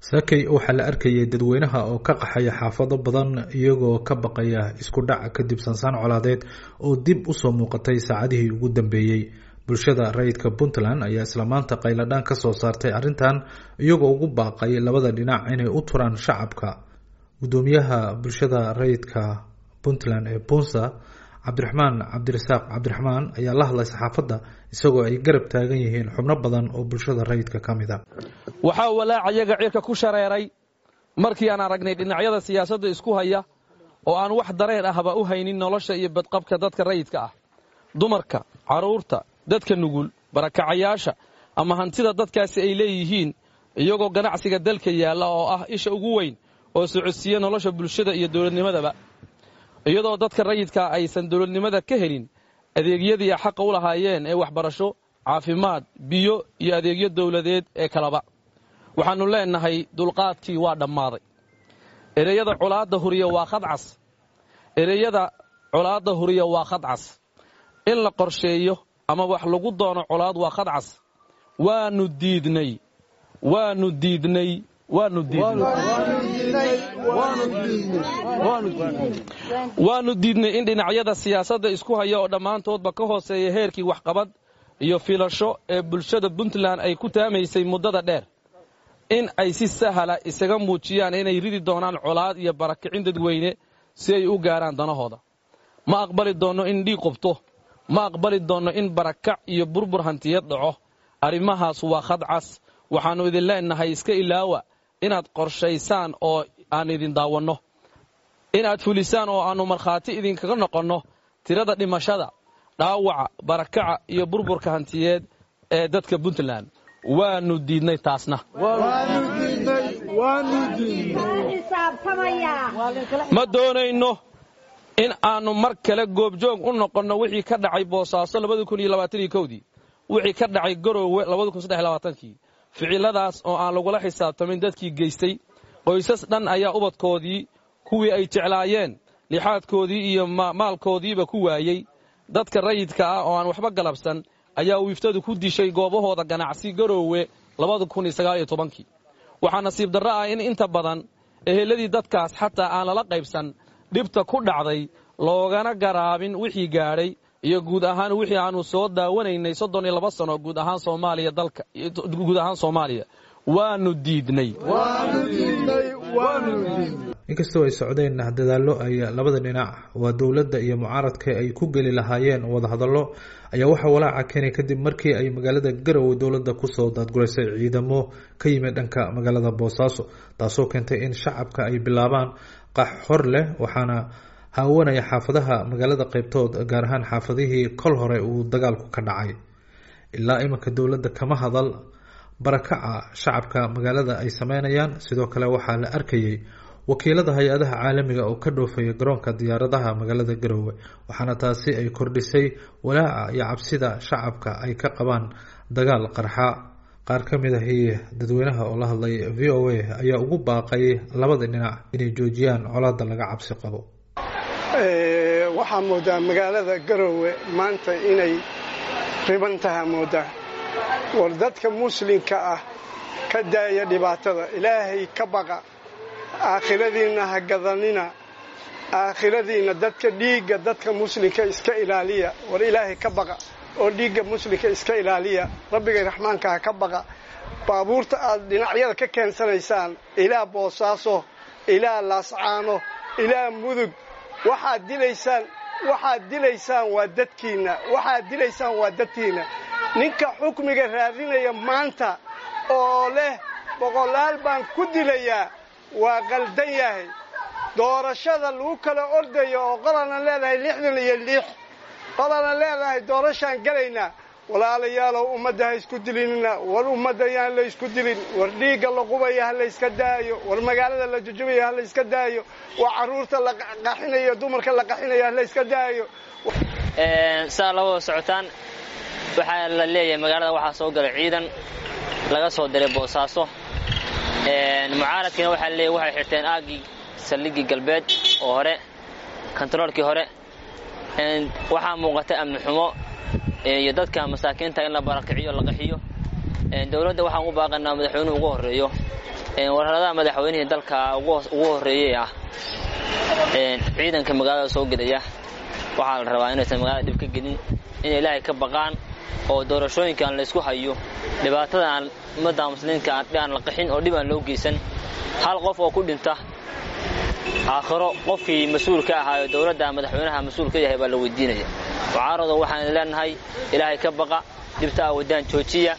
Saakay waxaa la arkayay dadweynaha oo ka qaxaya xaafado badan iyagoo ka baqaya isku dhac kadib sansaan colaadeed oo dib usoo muuqatay saacadihii ugu dambeeyey. Bulshada rayidka Puntland ayaa isla maanta qayladhaan ka soo saartay arrintan, iyagoo ugu baaqay labada dhinac inay u turaan shacabka. Gudoomiyaha bulshada rayidka Puntland ee Punsa, Cabdiraxmaan Cabdirasaaq Cabdiraxmaan, ayaa la hadlay saxaafadda isagoo ay garab taagan yihiin xubno badan oo bulshada rayidka ka mid a. Waxaa walaacayaga cirka ku shareeray markii aan aragnay dhinacyada siyaasadda isku haya oo aan wax dareen ahba u haynin nolosha iyo badqabka dadka rayidka ah, dumarka, carruurta, dadka nugul, barakacayaasha ama hantida dadkaasi ay leeyihiin, iyagoo ganacsiga dalka yaalla oo ah isha ugu weyn oo socodsiiya nolosha bulshada iyo dowladnimadaba, iyadoo dadka rayidkaa aysan dowladnimada ka helin adeegyadii xaqa u lahaayeen ee waxbarasho, caafimaad, biyo iyo adeegyo dowladeed ee kaleba. Waxaannu leennahay dulqaadkii waa dhammaaday. Ereyada colaadda huriya waa khadcas. Ereyada colaadda huriya waa khadcas. In la qorsheeyo ama wax lagu doono colaad waa khadcas. Waannu diidnay, waannu diidnay, waannu diidnay, waannu diidnay in dhinacyada siyaasadda isku haya oo dhammaantoodba ka hooseeya heerkii waxqabad iyo filasho ee bulshada Puntland ay ku taamaysay muddada dheer, in ay si sahala isaga muujiyaan inay ridi doonaan colaad iyo barakicin dadweyne si ay u gaaraan danahooda. Ma aqbali doonno in dhiig qubto, ma aqbali doonno in barakac iyo burbur hantiyeed dhaco. Arrimahaas waa khadcas. Waxaannu idin leennahay iska ilaawa inaad qorshaysaan oo aan idin daawanno, inaad fulisaan oo aannu markhaati idinkaga noqonno tirada dhimashada, dhaawaca, barakaca iyo burburka hantiyeed ee dadka Puntland. Waannu diidnay taasna. Ma doonayno in aannu mar kale goobjoog u noqonno wixii ka dhacay Boosaaso dii, wixii ka dhacay Garoowe kii, ficiladaas oo aan lagula xisaabtamin dadkii geystay. Qoysas dhan ayaa ubadkoodii, kuwii ay jeclaayeen, lixaadkoodii iyo maalkoodiiba ku waayey. Dadka rayidka ah oo aan waxba galabsan ayaa wiiftadu ku dishay goobahooda ganacsi Garoowe kii. Waxaa nasiib darro ah in inta badan eheladii dadkaas xataa aan lala qaybsan dhibta ku dhacday, loogana garaabin wixii gaadhay iyo guud ahaan wixii aannu soo daawanaynay 32 sano guud ahaan Soomaaliya, dalka guud ahaan Soomaaliya. Waannu diidnay. Inkastoo ay socdeen dadaallo ay labada dhinac, waa dowladda iyo mucaaradka, ay ku geli lahaayeen wadahadallo, ayaa waxaa walaaca keenay kadib markii ay magaalada Garowe dowladda kusoo daadguraysay ciidamo ka yimid dhanka magaalada Boosaaso, taasoo keentay in shacabka ay bilaabaan qax hor leh. Waxaana haawanaya xaafadaha magaalada qaybtood, gaar ahaan xaafadihii kol hore uu dagaalku ka dhacay. Ilaa iminka dowladda kama hadal barakaca shacabka magaalada ay sameynayaan. Sidoo kale waxaa la arkayay wakiilada hay-adaha caalamiga oo ka dhoofaya garoonka diyaaradaha magaalada Garowe, waxaana taasi ay kordhisay walaaca iyo cabsida shacabka ay ka qabaan dagaal qarxa. Qaar ka mid ahi dadweynaha oo la hadlay VOA ayaa ugu baaqay labada dhinac inay joojiyaan colaadda laga cabsi qabo. Waxaa moodaa magaalada Garowe maanta inay riban taha moodaa. War dadka muslimka ah ka daaya dhibaatada, Ilaahay ka baqa, aakhiradiinna ha gadanina, aakhiradiinna dadka dhiigga dadka muslimka iska ilaaliya. War Ilaahay ka baqa oo dhiigga muslimka iska ilaaliya, Rabbigay Raxmaanka ha ka baqa. Baabuurta aad dhinacyada ka keensanaysaan ilaa Boosaaso, ilaa Laascaano, ilaa Mudug, waxaad dilaysaan, waxaad dilaysaan waa dadkiinna, waxaad dilaysaan waa dadkiinna. Ninka xukmiga raadinaya maanta oo leh boqolaal baan ku dilayaa waa qaldan yahay. Doorashada lagu kala ordayo oo qolana leedahay 66, qolana leedahay doorashaan gelaynaa, walaalayaalow ummadda ha isku dilinina. War ummadda yaan la isku dilin. War dhiigga la qubaya ha layska daayo. War magaalada la jujubaya ha layska daayo. War carruurta la qaxinayo, dumarka la qaxinayo ha layska daayo. Saa labada socotaan, waxaa la leeyahay magaalada waxaa soo galay ciidan laga soo diray Boosaaso. Mucaaradkiina waxaa laleeyahy waxay xirteen aaggii saldhiggii galbeed oo hore, kontaroolkii hore. Waxaa muuqata amni xumo iyo dadka masaakiinta in la barakiciyo, la qaxiyo. Dowladda waxaan u baaqanaa, madaxweynuhu ugu horreeyo, Wararadaha madaxweynihii dalka ugu horreeyey ah ciidanka magaalada soo gelaya, waxaa la rabaa inaysan magaalada dhib ka gelin, in ilaahay ka baqaan oo doorashooyinkaan laysku hayo dhibaatada aan ummadda muslimiinka aan la qaxin oo dhib aan loo geysan. Hal qof oo ku dhinta aakhiro qofkii mas-uul ka ahaayo dowladda madaxweynaha mas-uul ka yahay baa la weydiinaya. Mucaarado waxaan leenahay ilaahay ka baqa, dhibta aa wadaan joojiya.